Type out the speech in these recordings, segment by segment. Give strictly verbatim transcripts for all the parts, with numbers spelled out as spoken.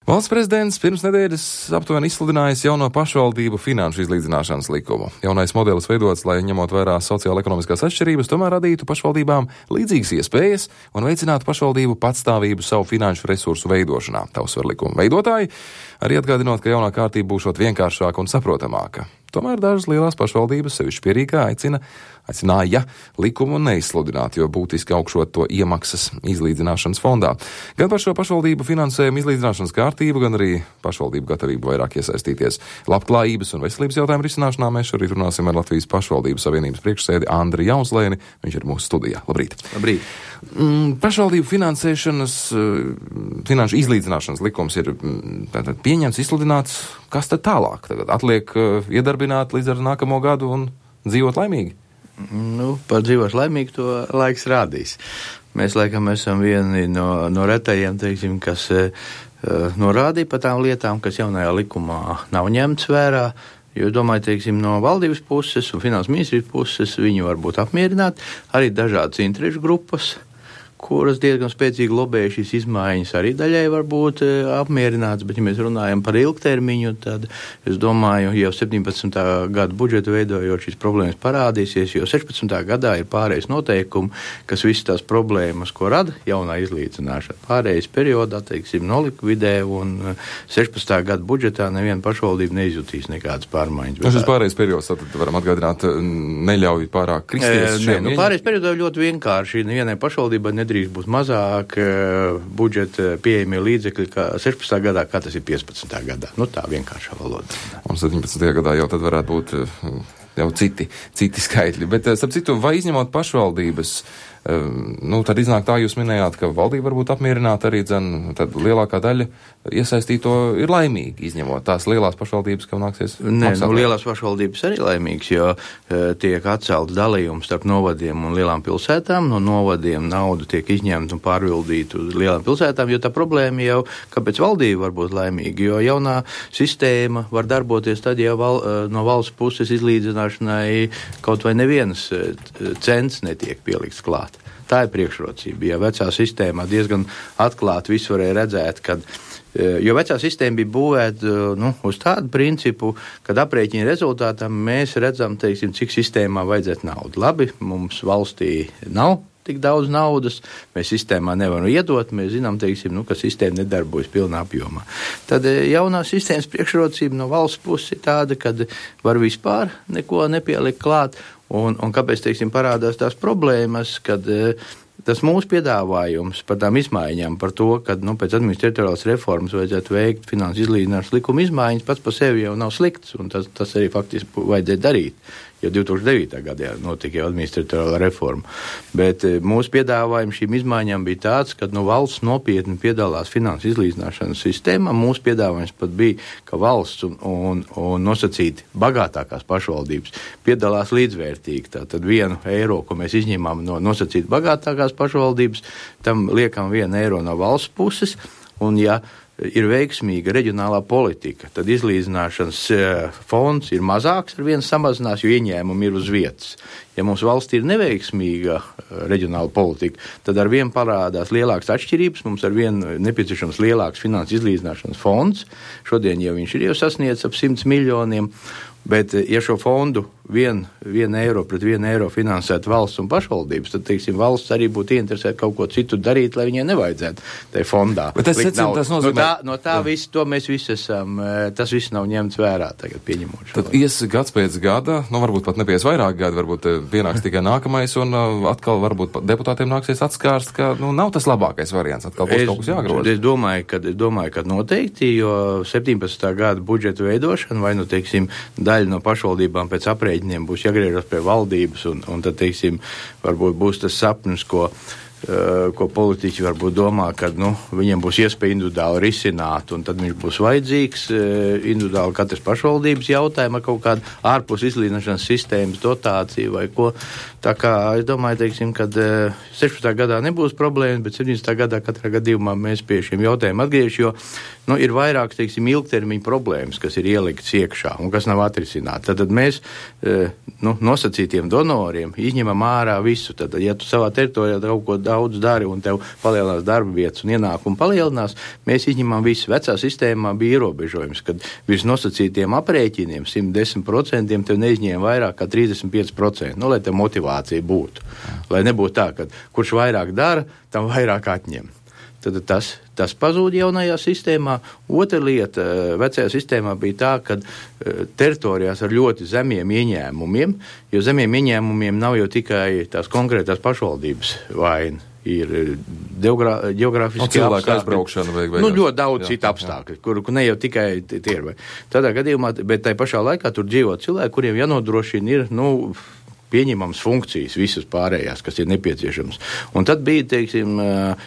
Valsts prezidents pirms nedēļas aptuveni izsludinājis jauno pašvaldību finanšu izlīdzināšanas likumu. Jaunais modelis veidots, lai ņemot vērā sociāla-ekonomiskās atšķirības, tomēr radītu pašvaldībām līdzīgas iespējas un veicinātu pašvaldību patstāvību savu finanšu resursu veidošanā. Tā uzsver likuma veidotāji, arī atgādinot, ka jaunā kārtība būšot vienkāršāka un saprotamāka. Tomēr dažas lielās pašvaldības, sevišķi pie Rīgā, aicina, aicināja likumu neizsludināt, jo būtiski augšot to iemaksas izlīdzināšanas fondā. Gan par šo pašvaldību finansējumu izlīdzināšanas kārtību, gan arī pašvaldību gatavību vairāk iesaistīties labklājības un veselības jautājumu risināšanā mēs šorīt runāsim ar Latvijas pašvaldību savienības priekšsēdi Andri Jaunslēni. Viņš ir mūsu studijā. Labrīt! Labrīt! Mm, pašvaldību finansēšanas, finanšu izlīdzināšanas likums ir tātad pieņemts, izsludināts. Kas tad tālāk? Tagad atliek iedarbināt līdz ar nākamo gadu un dzīvot laimīgi? Nu, par dzīvot laimīgi to laiks rādīs. Mēs, laikam, esam vieni no, no retajiem, teiksim, kas uh, norādīja par tām lietām, kas jaunajā likumā nav ņemts vērā. Jo, domāju, teiksim, no valdības puses un finanses ministrijas puses viņi var būt apmierināti. Arī dažādas interešu grupas, kuras diezgan spēcīgi lobēja šīs izmaiņas, arī daļai var būt apmierināts, bet ja mēs runājam par ilgtermiņu, tad es domāju, jau septiņpadsmitā gada budžetu veidojot šīs problēmas parādīsies, jo sešpadsmitā gadā ir pārējais noteikumi, kas visas tās problēmas, ko rada jaunā izlīdzināšana. Pārējais periodā, teiksim, nolikvidē un sešpadsmitā gada budžetā neviena pašvaldība neizjutīs nekādas pārmaiņas. Nu, šis pārējais periods, tad varam atgādināt, neļauj pārāk kristies šiem. E, ne, nu, pārējais periodā ļoti vienkārši, nevienai pašvaldībai nedrīkst būs mazāk uh, budžeta pieejamie līdzekļi kā sešpadsmitā gadā, kā tas ir piecpadsmitā gadā. Nu, tā vienkāršā valoda. Un septiņpadsmitajā gadā jau tad varētu būt uh, jau citi, citi skaitļi. Bet, uh, starp citu, vai izņemot pašvaldības, uh, nu, tad iznāk tā, jūs minējāt, ka valdība varbūt apmierināta arī, dzen, tad lielākā daļa iesaistīto ir laimīgi, izņemot tās lielās pašvaldības, kam nāksies Nē, maksāt. Nu, lielās pašvaldības arī laimīgas, jo uh, tiek atcelts dalījums starp novadiem un lielām pilsētām. No novadiem naudu tiek izņemta un pārvildīta uz lielām pilsētām, jo tā problēma jau, kāpēc valdība var būt laimīga, jo jaunā sistēma var darboties tad, ja val, uh, no valsts puses izlīdzināšanai kaut vai nevienas uh, cents netiek pielikts klāt. Tā ir priekšrocība. Ja vecā sistēmā diezgan atklāti visu varēja redzēt, kad jo vecā sistēma bija būvēta nu, uz tādu principu, kad aprēķina rezultātā mēs redzam, teiksim, cik sistēmā vajadzētu naudu. Labi, mums valstī nav tik daudz naudas, mēs sistēmā nevaram iedot, mēs zinām, teiksim, nu, ka sistēma nedarbojas pilnā apjomā. Tad jaunā sistēmas priekšrocība no valsts puses ir tāda, kad var vispār neko nepielikt klāt, un, un kāpēc, teiksim, parādās tās problēmas, kad tas mūsu piedāvājums par tām izmaiņām, par to, ka nu, pēc administratīvās reformas vajadzētu veikt finanses izlīdzināšanas likuma izmaiņas, pats par sevi jau nav slikts, un tas, tas arī faktiski vajadzēja darīt. Jau divi tūkstoši devītā gadā notika jau administratīvā reforma. Bet mūsu piedāvājums šīm izmaiņām bija tāds, ka nu, valsts nopietni piedalās finanses izlīdzināšanas sistēmā. Mūsu piedāvājums pat bija, ka valsts un, un, un nosacīti bagātākās pašvaldības piedalās līdzvērtīgi. Tātad vienu eiro, ko mēs izņemam no nosacīti bagātākās pašvaldības, tam liekam vienu eiro no valsts puses, un ja ir veiksmīga reģionālā politika, tad izlīdzināšanas fonds ir mazāks, ar vienu samazinās, jo ieņēmumi ir uz vietas. Ja mums valstī ir neveiksmīga reģionāla politika, tad ar vienu parādās lielākas atšķirības, mums ar vienu nepieciešams lielāks finanses izlīdzināšanas fonds. Šodien jau viņš ir jau sasniedz ap simts miljoniem, bet ja šo fondu vienu vien eiro pret vienu eiro finansētu valsts un pašvaldības, tad, teiksim, valsts arī būtu ieinteresēta kaut ko citu darīt, lai viņai nevajadzētu tajā fondā. Bet tas, secim, tas nozīmē... No tā, no tā visu, to mēs visi esam, tas viss nav ņemts vērā tagad pieņemot šo. Tad ies gads pēc gada, nu varbūt pat nepies vairāk gadu, varbūt pienāks tikai nākamais, un atkal varbūt deputātiem nāksies atskārst, ka nu, nav tas labākais variants, atkal būs es, kaut kas jāgroza. Es domāju, ka, es domāju, ka noteikti, jo septiņpadsmitā gada budžeta veidošana, vai nu, teiksim, daļa no pašvaldībām pēc aprēķiniem būs jāgriežas pie valdības, un, un tad, teiksim, varbūt būs tas sapnis, ko, uh, ko politiķi varbūt domā, ka, nu, viņiem būs iespēja individuāli risināt, un tad viņš būs vajadzīgs uh, individuāli katras pašvaldības jautājuma, kaut kāda ārpus izlīdzināšanas sistēmas dotācija vai ko. Tā kā es domāju, teiksim, kad uh, sešpadsmitā gadā nebūs problēmas, bet septiņpadsmitā gadā katrā gadījumā mēs pie šiem jautājumiem atgriež, jo nu, ir vairāk, teiksim, ilgtermiņa problēmas, kas ir ieliktas iekšā un kas nav atrisināti. Tad, tad mēs uh, nu, nosacītiem donoriem izņemam ārā visu. Tad, ja tu savā teritorijā kaut ko daudz dari un tev palielinās darba vietas un ienākumu palielinās, mēs izņemam visu. Vecā sistēmā bija ierobežojums, kad virs nosacītiem aprēķiniem simt desmit procenti tev neizņēma vairāk kā trīsdesmit pieci procenti, nu, lai tev motivācija būtu. Lai nebūtu tā, ka kurš vairāk dara, tam vairāk atņem. Tad tas, tas pazūd jaunajā sistēmā. Otra lieta vecajā sistēmā bija tā, ka teritorijās ar ļoti zemiem ieņēmumiem, jo zemiem ieņēmumiem nav jau tikai tās konkrētās pašvaldības vaina. Ir geogrāfiski apstākļi, aizbraukšana vajag. Nu, ļoti daudz citu apstākļu, kur, kur ne jau tikai tie ir. Tādā gadījumā, bet tai pašā laikā tur dzīvo cilvēki, kuriem jānodrošina ir, nu, pieņemams funkcijas, visas pārējās, kas ir nepieciešams. Un tad bija, teiksim,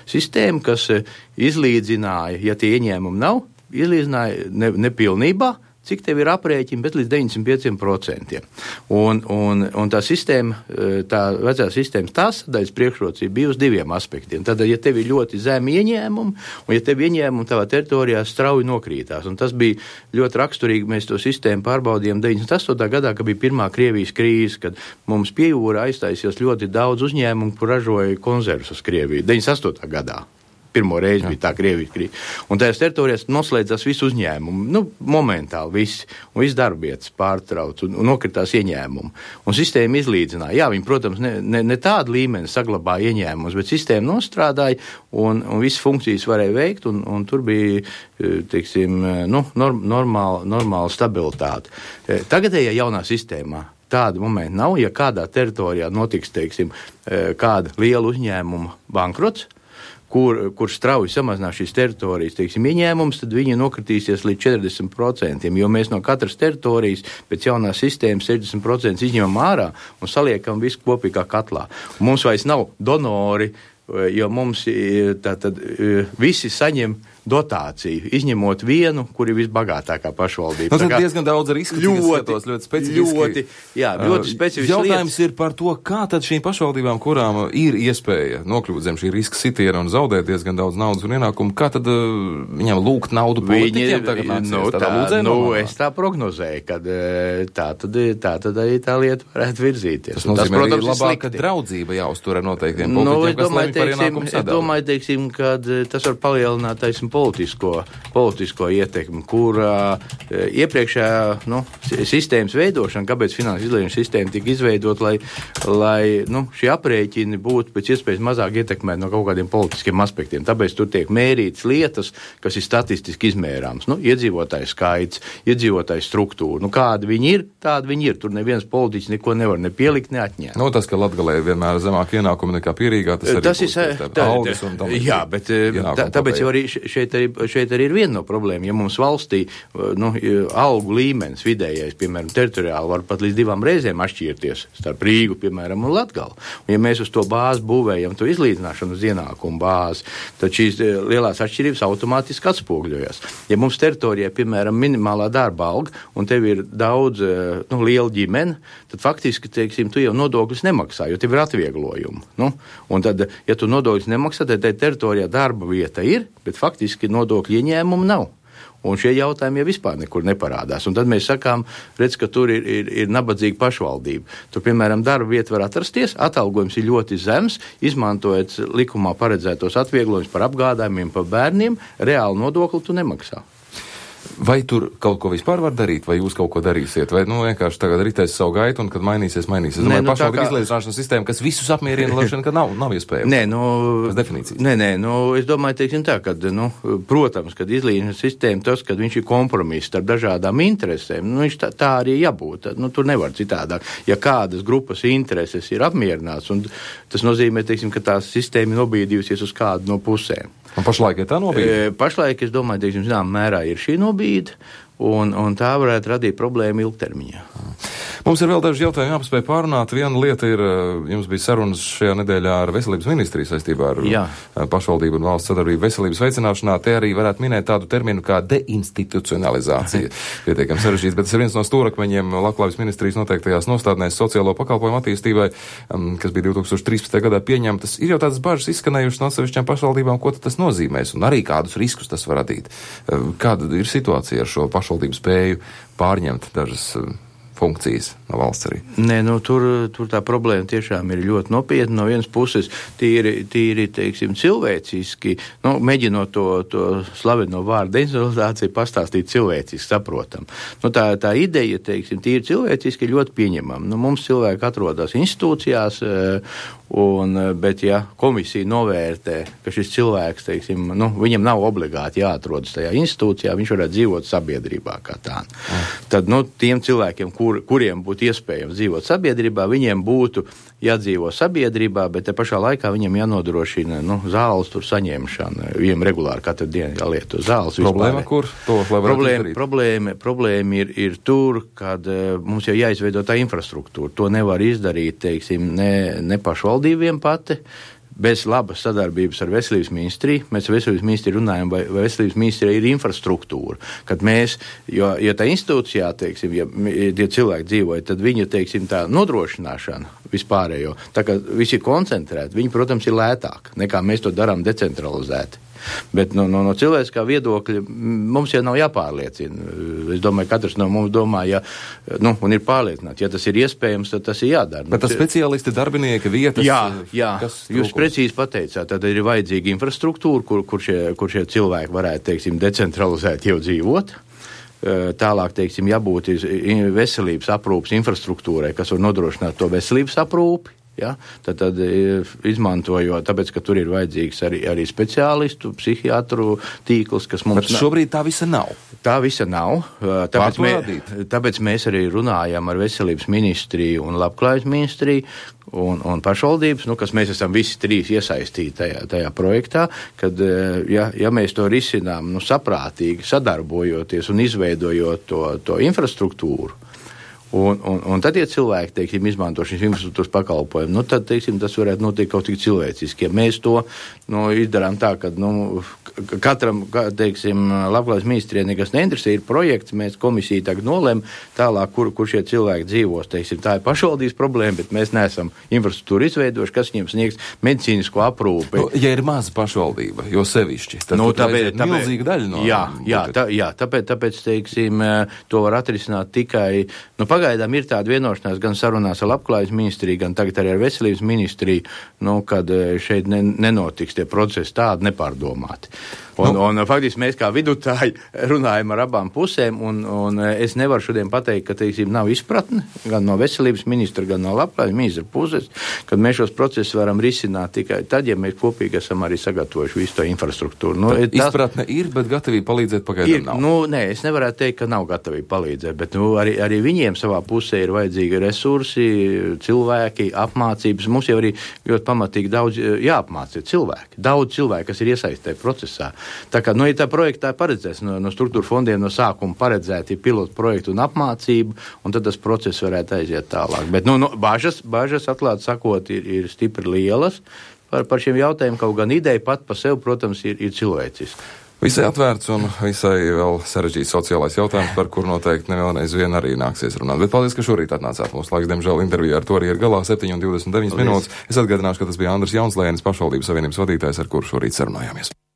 sistēma, kas izlīdzināja, ja tie ieņēmumi nav, izlīdzināja ne, nepilnībā, cik tev ir aprēķini, bet līdz deviņdesmit pieciem procentiem. Un, un, un tā sistēma, tā vecā sistēmas tās sadaļas priekšrocība bija uz diviem aspektiem. Tad, ja tev ir ļoti zemi ieņēmumi, un ja tev ieņēmumi tavā teritorijā strauji nokrītās, un tas bija ļoti raksturīgi, mēs to sistēmu pārbaudījām deviņdesmit astotā gadā, kad bija pirmā Krievijas krīze, kad mums pie jūra aiztaisījās ļoti daudz uzņēmumu, kur ražoja konservus uz Krieviju. deviņdesmit astotā gadā. Pirmo reizi Jā. bija tā Krievijas krīze. Un tajās teritorijās noslēdzās visu uzņēmumu, nu, momentāli visi, un viss darbietas pārtrauc, un, un nokritās ieņēmumu. Un sistēma izlīdzināja. Jā, viņi, protams, ne, ne, ne tādu līmeni saglabāja ieņēmumus, bet sistēma nostrādāja, un, un visas funkcijas varēja veikt, un, un tur bija, teiksim, nu, norm, normāla, normāla stabilitāte. Tagadējā jaunā sistēmā tāda momenta nav, ja kādā teritorijā notiks, teiksim, kāda liela uzņēmuma bankrots, kur, kur strauji samazinās šīs teritorijas, teiksim, ieņēmums, tad viņi nokritīsies līdz četrdesmit procentiem, jo mēs no katras teritorijas pēc jaunās sistēmas sešdesmit procenti izņemam ārā un saliekam visu kopīgā katlā. Un mums vairs nav donori, jo mums tātad visi saņem dotāciju, izņemot vienu, kur ir visbagātākā pašvaldība. Nu, tad diezgan daudz risku, ļoti, skatos, ļoti specifiski. Ļoti, jā, ļoti specifiski Jautājums lietas. ir par to, kā tad šīm pašvaldībām, kurām ir iespēja nokļūt zem šī riska sitiena un zaudēt diezgan daudz naudas un ienākumu, kā tad uh, viņam lūgt naudu politiķiem tagad nāksies? Nu, tā, tā, nu, es tā prognozēju, kad tā tad, tā tad arī tā lieta varētu virzīties. Tas nozīmē, tas, protams, ir labāk, ka draudzība jāuztur ar noteiktiem politiķiem, nu, kas lemj par ienākumu sadalu. Es domāju, teiksim, kad tas var palielināt, teiksim, politisko, politisko ietekmi, kur uh, iepriekšējā nu, sistēmas veidošana, kāpēc finanses izlīdzināšanas sistēma tika izveidot, lai, lai nu, šie aprēķini būtu pēc iespējas mazāk ietekmēti no kaut kādiem politiskiem aspektiem. Tāpēc tur tiek mērītas lietas, kas ir statistiski izmērāmas. Nu, iedzīvotāju skaits, iedzīvotāju struktūra. Nu, kādi viņi ir, tādi viņi ir. Tur neviens politiķis neko nevar ne pielikt, ne atņemt. Nu, tas, ka Latgalē ir vienmēr zemāk ienākumi nekā Pierīgā, tas arī tas būs ir, tā, tā, algas un tam. Jā, bet tā, tāpēc jau arī šeit, arī šeit arī ir viena no problēma. Ja mums valstī nu, algu līmenis vidējais, piemēram, teritoriāli var pat līdz divām reizēm atšķirties starp Rīgu, piemēram, un Latgali. Un ja mēs uz to bāzi būvējam to izlīdzināšanu uz ienākumu bāzi, tad šīs lielās atšķirības automātiski atspogļojas. Ja mums teritorijā, piemēram, minimālā darba alga un tev ir daudz nu, liela ģimene, tad faktiski, teiksim, tu jau nodokļus nemaksā, jo tev ir atvieglojumi. Nu, un tad, ja tu nodokļus nemaksā, tad teritorijā darba vieta ir, bet faktiski nodokļu ieņēmumu nav. Un šie jautājumi jau vispār nekur neparādās. Un tad mēs sakām, redz, ka tur ir, ir, ir nabadzīga pašvaldība. Tur, piemēram, darba vieta var atrasties, atalgojums ir ļoti zems, izmantojot likumā paredzētos atvieglojumus par apgādājumiem, par bērniem, reāli nodokli tu nemaksā. Vai tur kaut ko vispār var darīt, vai jūs kaut ko darīsiet, vai nu vienkārši tagad ritēs savu gaitu un kad mainīsies, mainīsies? Es domāju, nu, pašvaldību kā... izlīdzināšanas sistēma, kas visus apmierina, lēšana, ka nav, nav iespējams. Nē, nu, tas definīcijas. Nē, nē, nu, es domāju, teiksim tā, ka, nu, protams, kad izlīdzināšanas sistēma tas, kad viņš ir kompromiss starp dažādām interesēm, nu, viņš tā, tā arī jābūt, nu, tur nevar citādāk. Ja kādas grupas intereses ir apmierināts, un tas nozīmē, teiksim, ka tā sistēma ir nobīdījusies uz kādu no pusēm. Un pašlaik ir tā nobīde? Pašlaik, es domāju, teiksim, zinām, mērā ir šī nobīde, un, un tā varētu radīt problēmu ilgtermiņā. Mums ir vēl daži jautājumi jāpaspēj pārunāt. Viena lieta ir, jums bija sarunas šajā nedēļā ar veselības ministriju saistībā ar Jā. pašvaldību un valsts sadarbību veselības veicināšanā. Te arī varētu minēt tādu terminu kā deinstitucionalizācija. Pietiekami sarežģīts, bet tas ir viens no stūrakmeņiem Labklājības ministrijas noteiktajās nostādnēs sociālo pakalpojumu attīstībai, kas bija divi tūkstoši trīspadsmitajā gadā pieņemtas. Ir jau tādas bažas izskanējušas no atsevišķām pašvaldībām, ko tas nozīmēs un arī kādus riskus tas var radīt. Kāda ir situācija ar šo pašvaldību spēju pārņemt dažas funkcijas no valsts arī? Nē, nu, tur, tur tā problēma tiešām ir ļoti nopietna. No vienas puses tīri, tīri teiksim, cilvēciski, nu, mēģinot to, to slaveno vārdu decentralizāciju pastāstīt cilvēciski saprotam. Nu, tā, tā ideja, teiksim, tīri cilvēciski ir ļoti pieņemama. Nu, mums cilvēki atrodas institūcijās, un, bet ja komisija novērtē, ka šis cilvēks, teiksim, nu, viņam nav obligāti jāatrodas tajā institūcijā, viņš varētu dzīvot sabiedrībā kā tā. Mm. Tad, nu, tiem cilvēkiem, kur, kuriem būtu iespējams dzīvot sabiedrībā, viņiem būtu jādzīvo sabiedrībā, bet te pašā laikā viņam jānodrošina, nu, zāles tur saņemšana. Viņam regulāri katru dienu jālieto zāles. Problēma, vispār. kur to, lai varētu problēma, izdarīt? Problēma, problēma ir, ir tur, kad uh, mums jau jāizveido tā infrastruktūra. To nevar izdarīt, teiksim, ne, ne pašvaldībiem pati, bez labas sadarbības ar veselības ministriju. Mēs ar veselības ministriju runājam, vai, vai veselības ministrija ir infrastruktūra. Kad mēs, jo, ja tā institūcijā, teiksim, ja tie cilvēki dzīvoja, tad viņa, teiksim, tā nodrošināšana vispārējo, tā kā visi ir koncentrēti, viņi, protams, ir lētāk, nekā mēs to darām decentralizēti. Bet no, no, no cilvēciskā viedokļa mums jau nav jāpārliecina. Es domāju, katrs no mums domā, ja, nu, un ir pārliecināts, ja tas ir iespējams, tad tas ir jādara. Bet tas speciālisti, darbinieki, vietas... Jā, jā, kas jūs precīzi pateicāt, tad ir vajadzīga infrastruktūra, kur, kur, šie, kur šie cilvēki varētu, teiksim, decentralizēt jau dzīvot. Tālāk, teiksim, jābūt veselības aprūpas infrastruktūrai, kas var nodrošināt to veselības aprūpi. Ja? Tad, tad izmantojot, tāpēc, ka tur ir vajadzīgs arī, arī speciālistu, psihiatru tīkls, kas mums... Bet šobrīd tā visa nav. Tā visa nav. Tāpēc, mē, tāpēc mēs arī runājam ar veselības ministriju un labklājības ministriju un, un pašvaldības, nu, kas mēs esam visi trīs iesaistīti tajā, tajā projektā, kad, ja, ja mēs to risinām, nu, saprātīgi, sadarbojoties un izveidojot to, to infrastruktūru, Un, un, un tad, ja cilvēki, teiksim, izmanto šīs infrastruktūras pakalpojumu, nu, tad, teiksim, tas varētu notikt kaut tik cilvēciski. Ja mēs to, nu, izdarām tā, ka, nu, katram, teiksim, labklājības ministrijai nekas neinteresē, ir projekts, mēs komisija tagad nolem tālāk, kur, kur šie cilvēki dzīvos, teiksim, tā ir pašvaldības problēma, bet mēs neesam infrastruktūru izveidojuši, kas viņiem sniegs medicīnisko aprūpi. Nu, ja ir maza pašvaldība, jo sevišķi, tad nu, tāpēc, tāpēc, milzīga daļa no... Jā, jā, tā, jā tāpēc, tāpēc, teiksim, to var atrisināt tikai, nu, pagaidām ir tāda vienošanās gan sarunās ar labklājības ministriju, gan tagad arī ar veselības ministriju, nu, kad šeit ne, nenotiks tie procesi tādi nepārdomāti. Un, nu. un faktiski mēs kā vidutāji runājam ar abām pusēm, un, un es nevaru šodien pateikt, ka, teiksim, nav izpratne gan no veselības ministra, gan no labklājības ministra puses, kad mēs šos procesus varam risināt tikai tad, ja mēs kopīgi esam arī sagatavojuši visu to infrastruktūru. Nu, tas, izpratne ir, bet gatavība palīdzēt pagaidām nav. Nu, nē, es nevarētu teikt, ka nav gatavība palīdzēt, bet nu, arī, arī viņiem savā pusē ir vajadzīgi resursi, cilvēki, apmācības. Mums jau arī ļoti pamatīgi daudz jāapmāca cilvēki. Daudz cilvēku, kas ir iesaistīti procesā. Tā kā, nu, ja tā projektā paredzēs no, no struktūra fondiem no sākuma paredzēti pilotu projektu un apmācību, un tad tas process varētu aiziet tālāk. Bet, nu, nu bažas, bažas atklāt sakot, ir, ir stipri lielas par, par šiem jautājumiem, kaut gan ideja pat pa sev, protams, ir, ir cilvēciska. Visai atvērts un visai vēl sarežģīts sociālais jautājums, par kur noteikti nevienreiz vien arī nāksies runāt. Bet paldies, ka šorīt atnācāt. Mūsu laiks, diemžēl, intervijā ar to arī ir galā septiņi un divdesmit deviņas minūtes. Es atgādināšu, ka tas bija Andris Jaunslēnis, pašvaldības savienības vadītājs, ar kuru šorīt sarunājāmies.